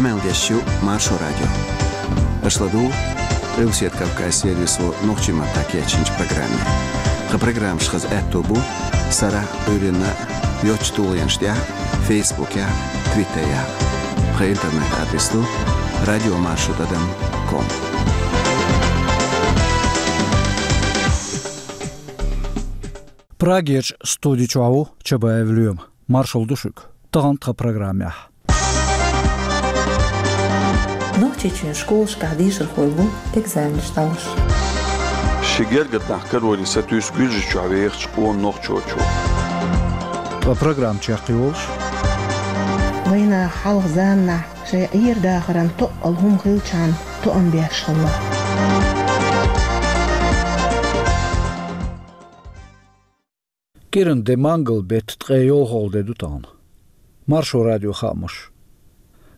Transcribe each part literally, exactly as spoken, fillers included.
Къамел деш ю Маршо радио. Аша ладугӀу Къилбаседа Кавказан сервисо нохчийн маттахь кечйинчу программе. Тхан программаш хаза аьтто бу сарахь а, Ӏуьйранна а йоцчу тулгӀенаш тӀехь а, Фейсбукехь а, Твиттерехь а. Тхан интернет-адрес ду радио маршо тӀадам ком. Прагерчу студи чохь ву Чабаев Лоьма. Маршалла ду шуьга. Тахана тхан программехь. Нохчийчоьнан школашкахь дешархой бу экзаменаш дӀалуш. Ши гергара нах кароре сатуьйсу Гуьржийчохь вехачу къона нохчочо. Ткъа программа чекхйолуш. Вайнах хьалха заманахь шайн Ӏер-дахаран тоъал хӀума хилчхьана тоам беш хилла. КӀиран де мангал беттан ткъе йолхалгӀа де ду тахана. Маршо радион хаамаш.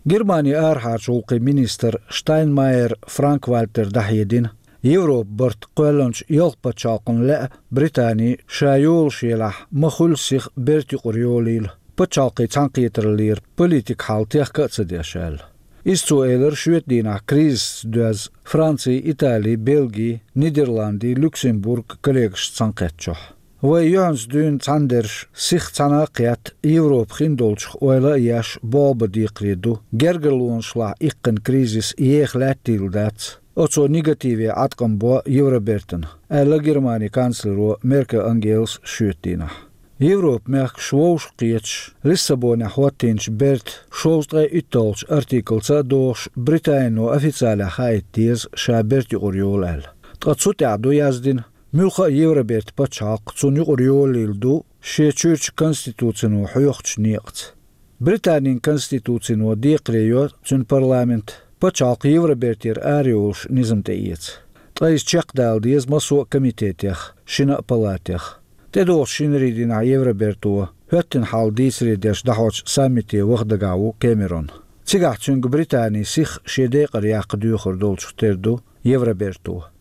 Германин арахьарчу гӀуллакхийн министра Штайнмайер Франк-Вальтера дӀахьедина, Европан барт кхоьллинчу ялх пачхьалкхана лаьа Британи ша йолуш елахь ма хуьллу сиха бертан юкъара йолийла, пачхьалкхийн цхьаьнакхетараллера политикан хьал техка а ца деш аьлла. Иза цо элира шоьтан дийнахь кризисца доьзна Францин, Италин, Бельгин, Нидерландийн, Люксембурган коллегашца цхьаьнакхеттачохь. Вай юьхьанца дуьйна цхьаьнадерш сиха цхьаьна а кхетта, Европа хин долчух ойла а еш, болх бан декхаре ду, гергарлонашлахь иккхина кризис еха лаьттийла дац, оцо негативе Ӏаткъам бо Евробертана, аьлла Германин канцлеро Меркель Ангелас шоьтан дийнахь. Европан мехкаш вовшахкхеташ, Лиссабонехь хӀоттийначу бертан шовзткъе итталгӀачу артиклаца а догӀуш, Британино официалехь хаийта деза ша бертан юкъара йолу аьлла. Ткъа цу тӀехь ду яздина, муьлхха а Евробертан пачхьалкх цунна юкъара йолийла ду шен чуьрачу конституцино хьоьхучу некъаца. Британин конституцино декхаре йо цуьнан парламент пачхьалкх Евробертера арайолуш низам тӀеэца. Ткъа иза чекхдала деза массо а комитетех, шина а палатех. ТӀедогӀучу шинарин дийнахь Евроберто хӀоьттина хьал дийцаре деш дӀахьочу саммите ваха дагахь ву Кэмерон. Цигахь цуьнга Британи сиха шен декъар яккха доьхур долчух тера ду Евроберто.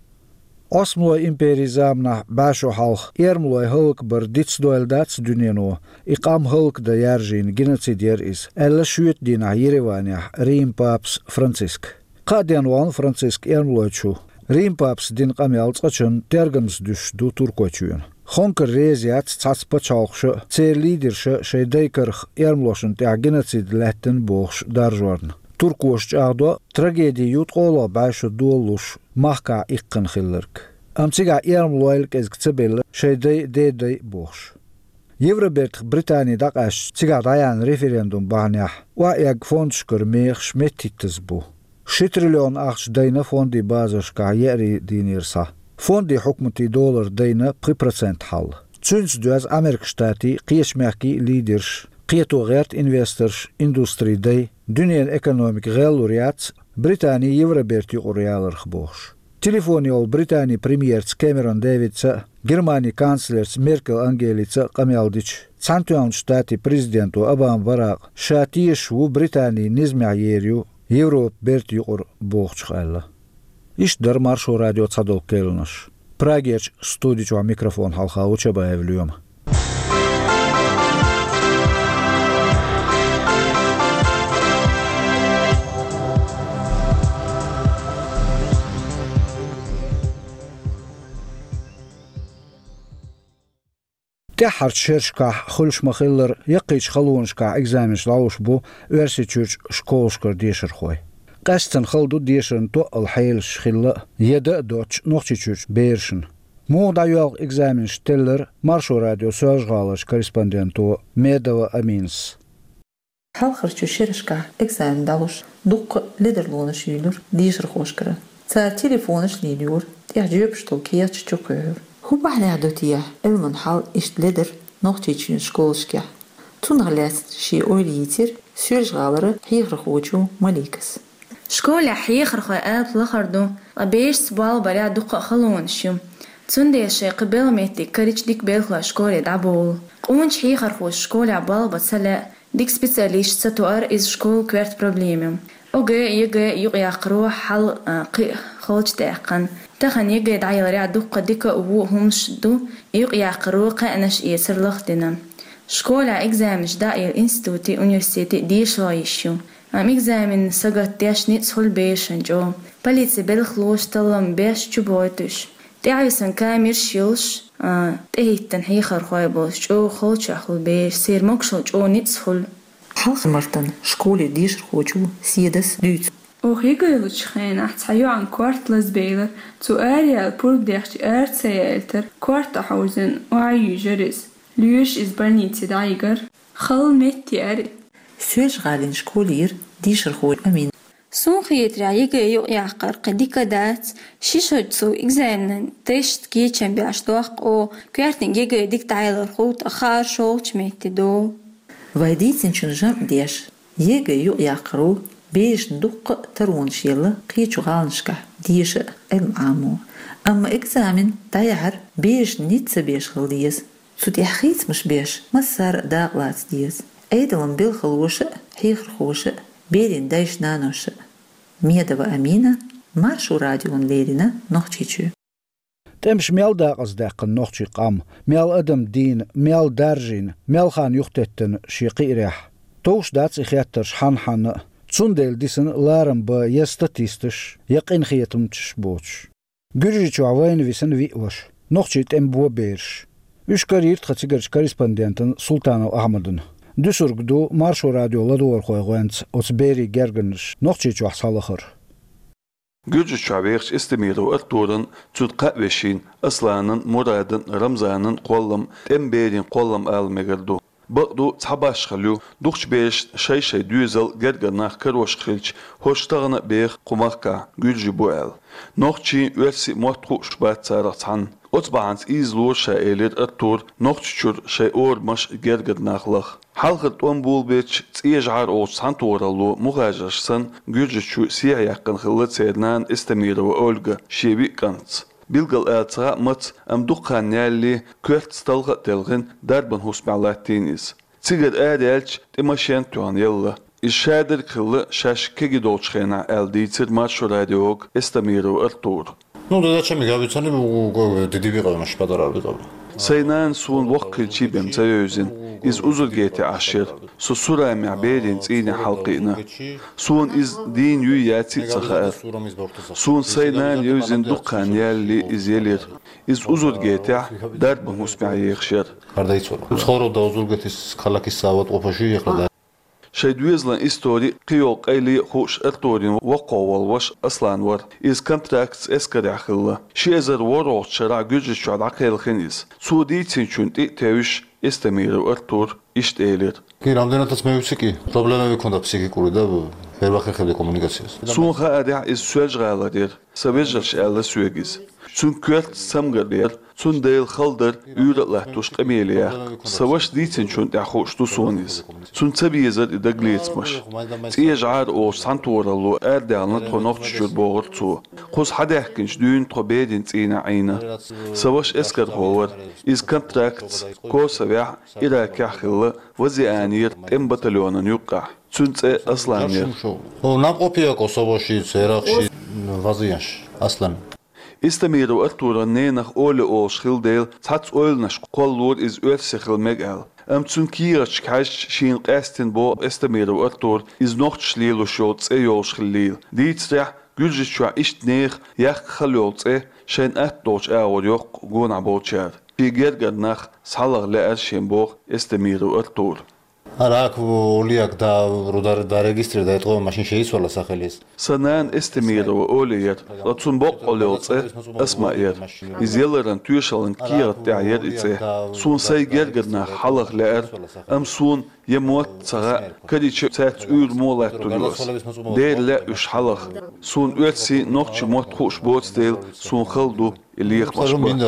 Ӏосмалойн империн заманахь бӀе шо хьалха эрмалой хӀаллакбар дицдойла дац дуьнено, и къам хӀаллакдан яржийна геноцид яра иза, аьлла шоьтан дийнахь Ереванехь Риман папас Франциска. Кхаа ден вахана Франциска эрмалойчу. Риман папас дина къамел цкъачунна тергамза дуьсуш ду Туркойчоьнан. Хонкар реза яц цхьацца пачхьалкхаша а, церан лидерша а шайн дай карах эрмалошна тӀехь геноцид лаьттина бохуш даржорна. Туркоша чӀагӀдо, трагеди ю ткъолгӀа бӀе шо долалуш махкахь иккхина хилларг. Амма цигахь эрмалойла кӀезиг ца белла шайн дай а, ден дай а бохуш. Евробертах Британи дӀакъаьстича, цигахь дӀаяьхьна референдум бахьанехь охьаэгна фондашкара мехаш меттахӀиттаза бу. Ши триллион ахча дайна фондийн базаршкахь еарин дийнера схьа. Фондийн хьукматийн долара дайна пхи процент хьал. Цуьнца доьзна Америкин Штатийн, кхечу мехкийн а лидерш, кхето гӀерта инвесторш, индустрин дай, дуьненан экономика гӀеллур яц Британи Евробертан юкъара яларх бохуш. Телефон йолу Британин премьерца Кэмерон Дэвидца а, Германин канцлерца Меркель Ангелица а къамел дича, Цхьаьнатоьхначу Штатийн президенто Обама Баракъа ша тешаш ву Британи низамехь ер ю Европан бертан юкъара бохучух аьлла. Иштта дара Маршо радион цхьадолу кхаьънаш. Прагерчу студи чохь микрофон хьалха ву Чабаев Лоьма. ТӀаьххьарчу шерашкахь хуьлуш ма-хиллара, яккхийчу халонашкахь экзаменаш дӀалуш бу Оьрсийчуьрчу школашкара дешархой. Къаьсттина хала ду дешаран тоъал хьелаш хилла а, яда а доцучу Нохчийчуьрчу берашна. Муха дӀайоьлху экзаменаш теллира Маршо радион Соьлжа-ГӀаларчу корреспонденто Медова Аминас. Хьалхарчу шерашкахь экзамен дӀалуш, дуккха а ледарлонаш юьйлура дешархошкара. Цара телефонаш лелайора, тӀехь жоьпаш долу кехаташ чукхуьйхьура. ХӀун бахьанехь ду техьа Ӏилман хьал иштта ледар Нохчийчуьнан школашкахь? Цунах лаьцна шен ойла йийцира Соьлжа-ГӀалара хьехархочо Маликас. Школехь хьехархойн алапа лахара ду, ткъа берашца болх барехь дуккха а халонаш ю. Цундела шайн кхин белхан меттиг карийча дика белхалой школе дӀаболу. Къоначу хьехархоша школехь болх бан ца лаьа, дика специалисташ ца тоар иза школан коьрта проблема ю. ОГЭ, ЕГЭ юкъаяккхаро хьал, а, кхин а халчу даьккхина. Тахана ЕГЭ дӀаяларехь дуккха дика а, вон а хӀуманаш ду, юкъаяккхаро кхаьънаш эцар лахдина. Школехь экзаменаш дӀаайилла институтийн, университетийн дешархой йиш ю. Амма экзамен сагатдеш ницкъ хуьлу берашна чӀогӀа. Полицин белхалоша таллам беш чубохуьйтуш. ТӀаьхьависина камераш йолуш, а, тӀехӀиттина хьехархой болуш чӀогӀа халчохь хуьлу бераш, церан могушалла чӀогӀа ницкъ хуьлу. Хьалхара мартан школера дешархочо Седас дуьйцу. Оха ЕГЭ лучу хенахь цхьа йоӀана корта лазабелира. Цо араяьлла пурба дехча ара ца яийтара, корта хьовзийна, охьа а йуьйжира иза. Лоьраша иза больнице дӀайигира. Халла метта яра. Соьлжа-ГӀалин школера дешархо Амина. Суна хетарехь, ЕГЭ юкъаяккхар кхин дика дац. Ши шо цу экзаменан тешта кечам беш доккху, коьртаниг ЕГЭ дика дӀаялар хуьлу, ткъа хаар шолгӀачу метте долу. Вай дийцинчун жамӀ деш, ЕГЭ юкъаяккхаро берашна дуккха а таронаш елла кхечу гӀаланашкахь деша а, Ӏилма Ӏамо. Амма экзамен дӀаяхьар берашна ницкъ ца беш хила деза. Цу тӀехь хийцамаш беш, массара а дакъалаца деза. Ӏедалан белхалоша а, хьехархоша а, берийн дайша-наноша а. Медова Амина, Маршо радиона леррина Нохчийчоь. ТӀемаша мел дакъаздаьккхина нохчийн къам, мел адам дийна, мел даржийна, мел хан юхатеттина шен кхиарехь. Товш дац и хеттарш хьанна-хьанна а, цундела дисина ларам бан я статисташ, я къинхетамчаш боцуш. Гуьржийчохь вайна висина виъ ваша, нохчийн тӀеман бо бераш. Уьш карийра тхан цигарчу корреспондентана Султанов Ахьмадана. Дуьсург ду Маршо радион ладогӀархойн гӀоьнца оцу берийн гергарнаш Нохчийчохь схьалахар. Гуьржийчохь вехачу Эстемирова Артуран, цуьнан кхаа вешин, Асланан, Мурадан, Рамзанан кхоллам, тӀеман берийн кхоллам ала мегар ду. Бакъду, цхьа башхалла ю, дукхачу берашна шай-шай доьзал, гергара нах карош хилча, хӀорш тахана а беха кху махкахь гуьржий бу аьлла. Нохчийн, оьрсийн мотт хууш бац царах цхьанна. Оцу бахьанца ийзалора ша, элира Артура, Нохчийчуьра шайн орамаш, гергара нах лаха. Хьалхара тӀом болабелча, ЦӀен жӀар олучу цхьаьнатохаралло мухажарш санна, Гуьржийчу сехьаяьккхина хилла церан нана Эстемирова Ольга шен виъ кӀантаца. Билггал ала ца хаьа маца, амма дукха хан ялале, коьртаца талха а телхина, дарбан хӀусамехь латтийна иза. Цигара араяьлча, тӀе машен а тоьхна елла. Иза шадерг хилла шаьш кегий долчу хенахь аьлла дийцира Маршо радиога Эстемирова Артура. Ну, да зачем их? Я ведь сам не могу, э, дидиби къамаш, подарок къамаш. Сайн нана суна воккха хилчий бен ца вевзина. Иза узургетехь Ӏаш яра. Со Сурамехь берийн цӀийнехь хьалакхиъна. Суна иза дийна юй яций а ца хаьара. Суна сайн нана евзина дукха хан ялале иза елира. Иза узургетехь дарбан хӀусамехь ехаш яра. Къардай цура. Цхьа хӀора да узургетис калакис сават къопаши яхла да. Шайн доьзалан истори кхин йолу къайле а хууш Артуран воккхагӀа волу ваша Аслан вара. Иза контрактца эскарехь хилла. Ши эзар ворхӀалгӀачу шарахь Гуьржийчохь дӀакхелхина иза. Цо дийцинчунна тӀе а тевжаш, Эстемиров Артура иштта элира. Ки рамдена тас мевсики, проблемави кунда психикури да, первахи хили коммуникацияс. Суна хаарехь, иза Соьлжа-ГӀалара яра. Сан вежарша аьлла соьга иза. Цуьнан коьртаца цамгар яра, цундела хала дара уьйра а латтош къамеле яккха. Сан вашас дийцинчунна тӀехь хууш ду суна иза. Цунна ца безара и дагалецамаш. ЦӀен жӀар олучу цхьаьнатохаралло арадаьхна тхо Нохчийчуьра, бохура цо. Кхуза хьадаьхкинчу дуьйна тхо берийн цӀийнехь Ӏийна. Сан ваша эскархо вара. Иза контрактца Косовехь, Иракехь хилла, Вазианера тӀеман батальонан юккъехь. Цуьнан цӀе Аслан яра. О, нам опия косово ши, церах ши, вазиянш, Аслан. Эстемиров Артуран ненах Оля олуш хилла дела, цхьацца ойланаш кхоллалора иза оьрси хила мега аьлла. Амма цуьнан кехаташка хьаьжча, шена къаьстина боху Эстемиров Артура, иза нохчаша лелош йолу цӀе йолуш хиллийла. Дийцарехь, Гуьржийчохь иштта нехан яккха хала йолу цӀе шайна атта долчу агӀор йоккху гонахь болчара. Шен гергара нах схьалаха лаьара шен, боху Эстемиров Артура. Ара ак улиак да рудар да регистр да тхо машин шейс вала сахалис. Сан нана Эстемирова Оля яра, ткъа цуьнан боккъалла йолу цӀе Асма яра. Иза яларан тоьшаллин кехат тӀехь яра и цӀе. Суна сайн гергара нах хьалаха лаьара, амма суна я мотт ца хаьа, карийча цаьрца уьйр мо латтур ю ас. Дера лаьа уьш хьалаха. Суна оьрсийн, нохчийн мотт хууш боцу дела, суна хала ду и лехамаш бан.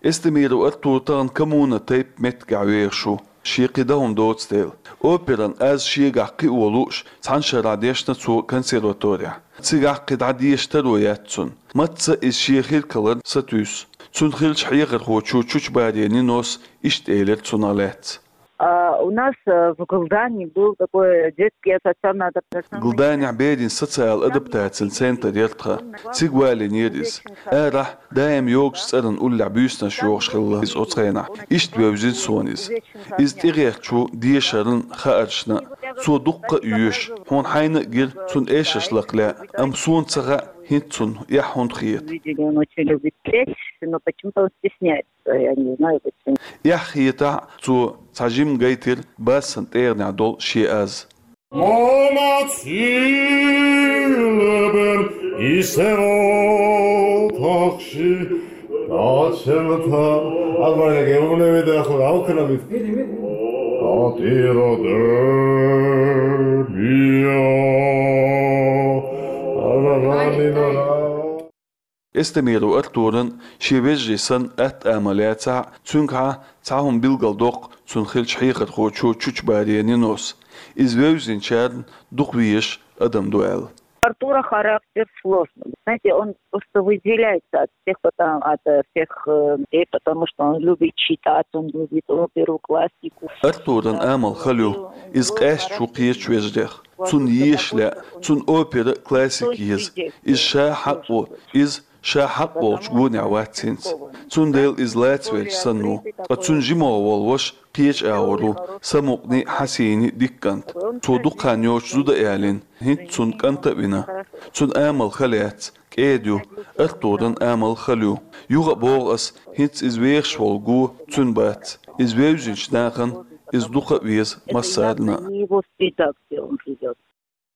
Эстемиров Артур тахана коммуна тайпа меттигехь вехаш ву, шен кхин дан хӀума доцу дела. Операн аз шегахь кхио лууш, цхьана шарахь дешна цо консерваторехь. Цигахь кхин дӀа деша таро яц цунна. Мацца иза шен хирг хиларна сатуьйсу. Цуьнан хиллачу хьехархочо Чучубари Нинос иштта элира цунах лаьцна. А, У нас э, в Галдане был такой детский ассоциальный адаптационный Галданехь берийн социал адаптацин центр яр тхан. Цига валийнера иза. Арахь даим йогучу цӀеран уллехь буьйсанаш йохуш хилла иза оцу хенахь. Иштта вевзина суна иза. Иза тӀегӀертачу дешаран хааршна. Цо дуккха а йоьшу, хьуна хьайна а гира цунна эшарш лакха лаьа, амма суна ца хаьа, хӀинца цунна эхь хӀунда хета. Видели, он очень любит лечь, но почему-то он стесняется, я не знаю почему. Эхь хетахь а, цо цхьа жимма гайтира бассан тӀегӀанехь долу шен аз. Мона цилбер исеро тахши дацелта. Албанеге умневе дахур алкана бит. Атира дебия. Ара раминара. Эстемиров Артуран шен вежарий санна атта амал яцахь а, цуьнгахьа цхьа хӀума билгалдоккху цунна хиллачу хьехархочо Чучубария Нинос. Иза вевзинчарна дукха везаш адам ду аьлла. Артура характер сложный. Знаете, он просто выделяется от всех, потому, от э, всех э, людей, потому что он любит читать, он любит оперу, классику. Артуран амал хала ю, иза къаьсташ ву кхечу вежарех. Цунна еша лаьа, цунна опера а, классика еза. Иза ша хьакъ ву, иза ша хьакъ волчу гонехь вац хӀинца. Цундела иза лацавелча санна ву. Ткъа цуьнан жимогӀа волу ваша кхечу агӀор ву, самукъане а, хьасийне а дика кӀант. Цо дукха хан йоцуш зуда а ялийна, хӀинца цунна кӀант а вина. Цуьнан амал хала яц, кӀеда ю, Артуран амал хала ю. Юха а боху ас, хӀинца иза вехаш волу го цуьнан бац. Иза вевзинчу нахана иза дукха а веза массарна а. Его среда, где он живёт.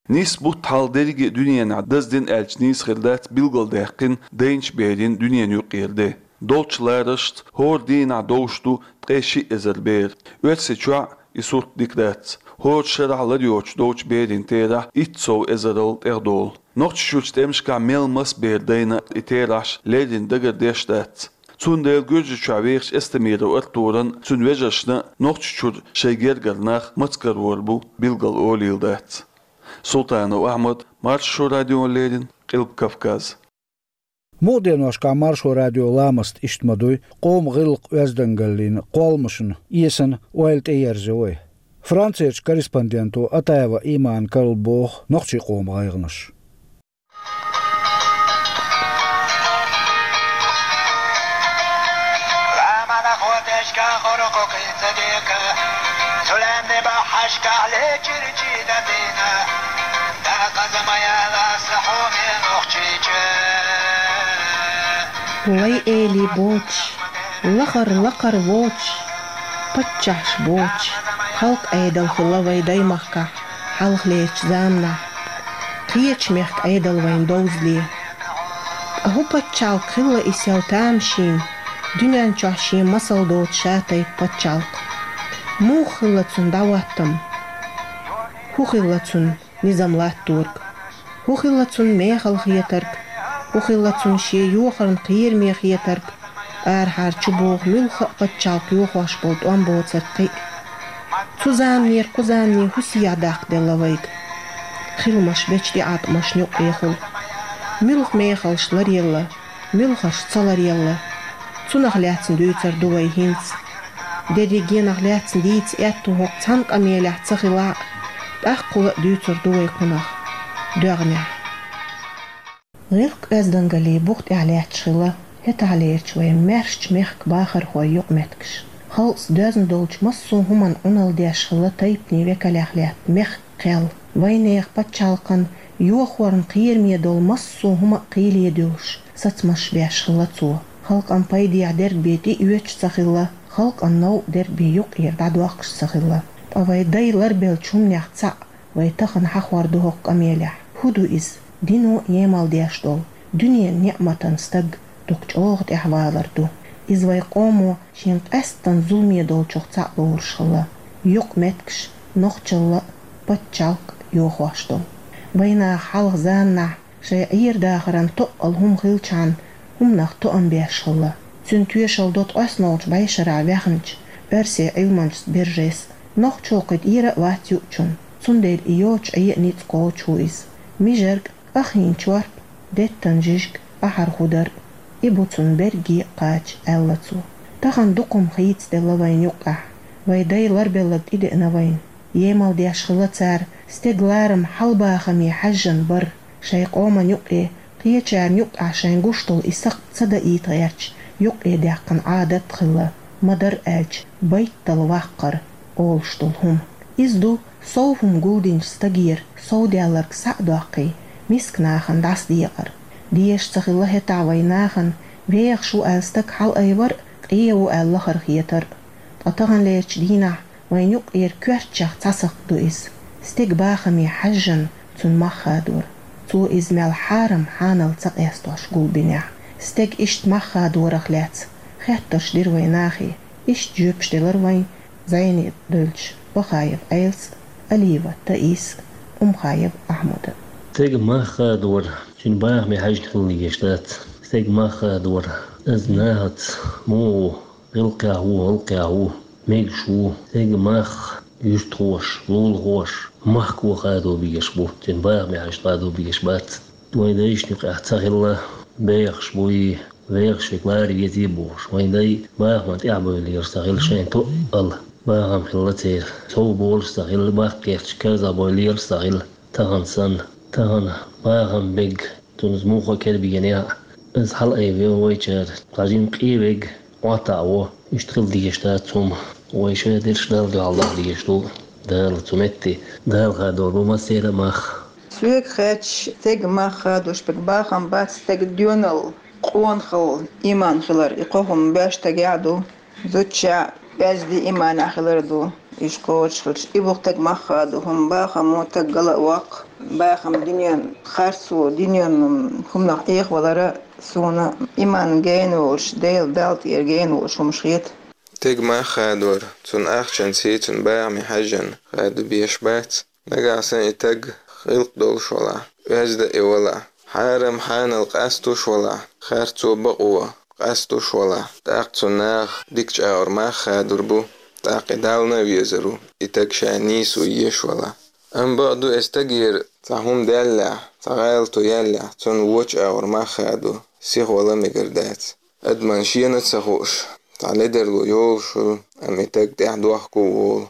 Нийсса бутт хьалха дерриге а дуьненахь даздина аьлча нийса хир дац билгалдаьккхина дайначу берийн дуьненан юккъера де. Долчу ларашца хӀора дийнахь довш ду ткъе шиъ эзар бер. Оьрсийчохь а и сурт дика дац. ХӀора шарахь лар йоцуш долчу берийн терахь итт сов эзарал тӀехдолу. Нохчийчуьрчу тӀемашкахь мел маса бер дайна и терахьаш леррина дагардеш дац. Цундела Гуьржийчохь вехачу Эстемиров Артуран, цуьнан вежаршна Нохчийчуьра шайн гергара нах маца карор бу билгал олийла дац. Султанов Ахьмад, Маршо радиона леррина, Къилба Кавказ. Мукъа деношкахь Маршо радион ламаст иштта ма дуй, къоман гӀиллакх-оьздангаллин кхолламашна эсана ойла тӀеерзайо вай. Францерчу корреспонденто Атаева Имана карла боху нохчийн къоман гӀайгӀанаш. Лай элий боцуш, лахара лакхара воцуш, паччахьаш боцуш, халкъан Ӏедал хилла вайн даймахкахь хьалхалерчу заманахь, кхечу мехкан Ӏедал вайна довзале. Ткъа хӀун пачхьалкх хилла и сел тамашийна, дуьнен чохь шен масал доцу ша-тайпа пачхьалкх? Муха хилла цуьнан дӀахӀоттам? ХӀун хилла цуьнан низам латторг? ХӀун хилла цуьнан мехала хетарг? ХӀун хилла цуьнан шен йохарна кхераме хетарг? Арахьара чубоху муьлхха а пачхьалкх йохош болу тӀом боцург кхин а. Цу заманера кху замане хӀун сехьа даккхаделла вайга? Хиламаш бечу тӀеӀаткъамашна юккъехула. Муьлха мехалш ларъелла, муьлхарш ца ларъелла. Цунах лаьцна дуьйцур ду вай хӀинца. Дерригенах лаьцна дийца аьтту хӀокху цхьана къамелехь ца хилахь а, тӀаккха хӀула а дуьйцур ду вай кхунах доьгӀнехь. ГӀиллакх-оьздангаллин бух тӀехь лаьтташ хилла хӀетахьлерчу вайн маьршачу мехкан бахархойн юкъаметтигаш. Халкъаца доьзна долчу массо а хӀуманна Ӏуналла деш хилла тайпанийн векалех лаьтта мехкан кхел. Вайнехан пачхьалкхан йохорна кхераме долу массо а хӀума а кхийле дуьллуш, сацамаш беш хилла цо. Халкъан пайдехь дерг бен тӀеоьцуш ца хилла, халкъан новкъа дерг бен юккъера дӀадоккхуш ца хилла. Ткъа вайн дай ларбеллачу хӀуманех цхьаъ вай тахана хьахор ду хӀокху къамелехь. ХӀун ду иза? Дино емал деш долу, дуьненан неӀматан стаг дукха чӀогӀа тӀаьхьавалар ду. Иза вайн къомо шен къаьсттан зуламе долчух цхьаъ лоруш хилла. Юкъаметтигаш нохчалла а, пачхьалкх а йохош долу. Вайнаха хьалха заманахь шайн Ӏер-дахаран тоъал хӀума хилчхьана, хӀуманах тоам беш хилла. Цуьнан тоьшалла до ткъоснолчу бӀешарахь ваьхначу оьрсийн Ӏилманчас Бержес. Нохчо кхин тӀера а вац юучунна, цундела и йоцуш Ӏе а ницкъ кхочуш ву иза. Мижарг, къахьийна чорпа, деттан жижиг, ахьар хӀу дара, и бу цунна берриге а кхача, аьлла цо. Тахана дукха хӀума хийцаделла вайна юккъехь. Вай дай ларбелларг тӀедеана вайна. Емал деш хилла цара, стеган ларам хьалбахаме хьаьжжина бар. Шайн къоман юкъе, кхечарна юкъахь шайн гуш долу и сакхт ца даийта гӀерташ, юкъе даьккхина Ӏадат хилла, ма-дарра аьлча, байтал ваккхар олуш долу хӀума. Иза ду сов хӀума гулдинчу стагера сов даьлларг схьа а доккхий, миска нахана дӀасадекъар. Дезаш ца хилла хӀетахь вайн нахана, вехаш ву аьлла стаг хьалаайвар а, къен ву аьлла лахара хетар а. Ткъа таханлерчу дийнахь вайн юкъера коьртачех цхьа сакхт ду иза. Стеган бахаме хьаьжжина цунна мах хадор. Цо иза мел хьарам хьанал ца къестош гулбинехь, стеган иштта мах хадорах лаьцна хеттарш дира вайн нахе. Иштта жоьпаш делара вайн зӀене девллачу Бахаев Ӏелас а, Алиева Таиса а, Умхаев Ахьмада а. Стеган мах хадор, цуьнан бахаме хьаьжна хила дезаш дац. Стеган мах хадор, иза нахаца муха ву, гӀиллакхехь ву, гӀиллакхехь ву, мегаш ву, стеган мах юьстахоша, лулахоша, махко хадо безаш бу, цуьнан бахаме хьаьжна хадо безаш бац. Вайн дайшна юкъахь ца хилла, бехаш буй, вехаш верг лара везий бохуш, вайн дай бахаман тӀаьхьабевллераш ца хилла шайна тоъал. Бахам хилла церан, сов болуш ца хилла, баккхерчу карзахбевллераш ца хилла тахана санна. Тахана бахам бег, цунна иза муха кербийнехь а, иза хьалаайвина вайчара, цхьа жима къен вег, Ӏоттаво, иштта хила дезаш дац хӀума. Вай шадерш Далла дуьхьал даха дезаш ду, Дала цу метте, Дала хадор бу массеран а мах. Соьга хаьттича, стеган мах хадош берг бахам бац, стеган доьналла, къонахалла, иман хилар, и кхо хӀума боьрша стагехь а ду, зудчохь а, оьзда иманехь хилар а ду. Иштта кхочушхуьлуш, и бу стеган мах хадо хӀума, бахам бу стаг гала а воккху, бахам дуьненан харцо, дуьненан хӀуманах Ӏехавалар а, суна иман гена волуш, Дела, Далла тӀера гена волуш хӀумаш хета. Стеган мах хадор, цунна ахчанций, цунна бахаме хьаьжжина хадо безаш бац. Нагахь санна и стаг гӀиллакх долуш валахь, оьзда а и валахь, хьарам хьанал къастуш валахь, харцо, бакъо къастуш валахь, тӀаккха цунна наха дика чӀагӀар мах хадор бу, тӀаккха и Далла а везар ву, и стаг ша нийсо еш валахь. Амма бакъду, и стагера цхьа хӀума даьллехь, цхьа гӀалато яьллехь, цунна вочу агӀор мах хадо сихвала мегар дац. Адамна шена а ца хууш, цхьа ледарло йолуш хуьлу, амма и стаг тӀаьхьа дохко а волу.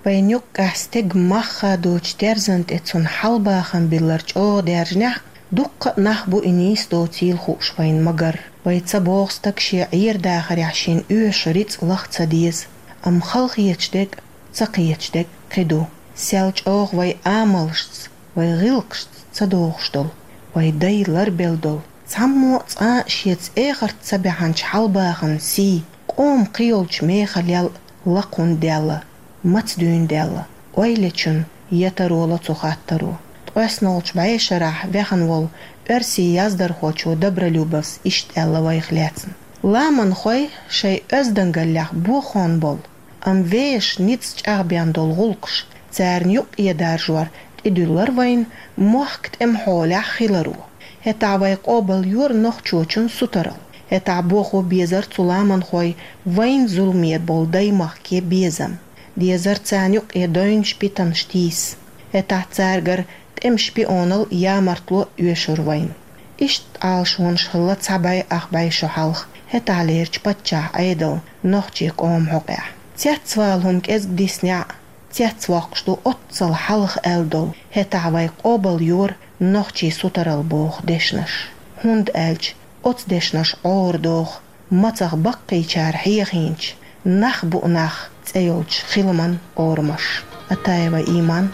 Вайн юккъехь стеган мах хадочу терзан тӀе цунна хьалбахам биллар чӀогӀа даьржинехь, дуккха а нах бу и нийса доцийла хууш вайна ма-гарра. Вай ца боху стаг шен Ӏер-дахарехь шен оьшу рицкъ лаха ца деза. Амма хала хеташ дерг а, ца кхеташ дерг а кхин ду. Сел чӀогӀа вай амалшца, вай гӀиллакхашца ца догӀуш долу, вай дай ларбелла долу, цхьаммо а цкъа а шеца эхарт ца баьхьначу хьалбахаман сий, къоман кхийолчу мехалел а лакха хӀунда даьлла, маца дуьйна даьлла, ойла йечун я таро ло цу хаттаро. Ткъоьснолчу бӀешарахь ваьхна волу оьрсийн яздархочо Добролюбовс иштта аьлла вайх лаьцна: «Ламанхой шайн оьздангаллех бохон болу, амма вешан ницкъ чӀагӀбен долу гӀуллакхаш, царна юкъе даржор тӀедуьллура вайна мохк тӀеман хьолехь хиларо. ХӀетахь вай къобалйора нохчочун сутаралла. ХӀетахь бохо безара цу ламанхой вайна зуламе болу даймахке безам. Дезара царна юкъе дойнаш, питанаш тийса. ХӀетахь цаьргара тӀеман шпионал, ямартло оьшура вайна». Иштта Ӏалашонаш хилла цхьа бӀе ах бӀе шо хьалха, хӀетахьлерчу паччахьан Ӏедалан нохчийн къоман хьокъехь. Цецвала хӀума кӀезиг диснехь а, цецвоккхуш ду оццул хьалха аьлла долу: «ХӀетахь вай къобалйора нохчийн сутаралла» боху дешнаш. ХӀунда аьлча оцу дешнаша Ӏора доху мацах баккхийчара хьехийначу «Нах бу нах» цӀе йолчу хиламан орамаш. Атаева Иман,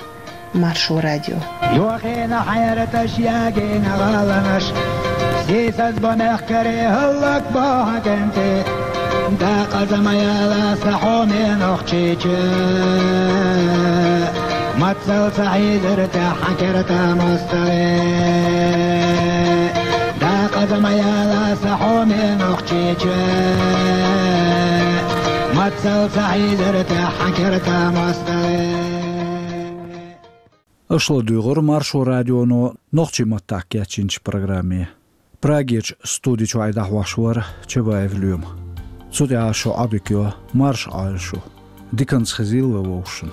Маршо радио. Йохийна хьаьраташ, ягийна гӀаланаш, сийсаз бо мехкарий хӀаллакбо хьан кӀентий. Дакъаза ма яла сан хьоме Нохчийчоь, мацалла ца хьийзира тӀехь хьан керта мостагӀий. Дакъаза ма яла сан хьоме Нохчийчоь, мацалла ца хьийзира тӀехь хьан керта мостагӀий. Аша ладуьйгӀура Маршо радионо нохчийн маттахь кечйинчу программе. Прагерчу студи чуьра дӀахьош вара Чабаев Лоьма. Цу тӀехь шун Ӏодика йо, марша Ӏойла шу. Диканца хезийла вай вовшашна.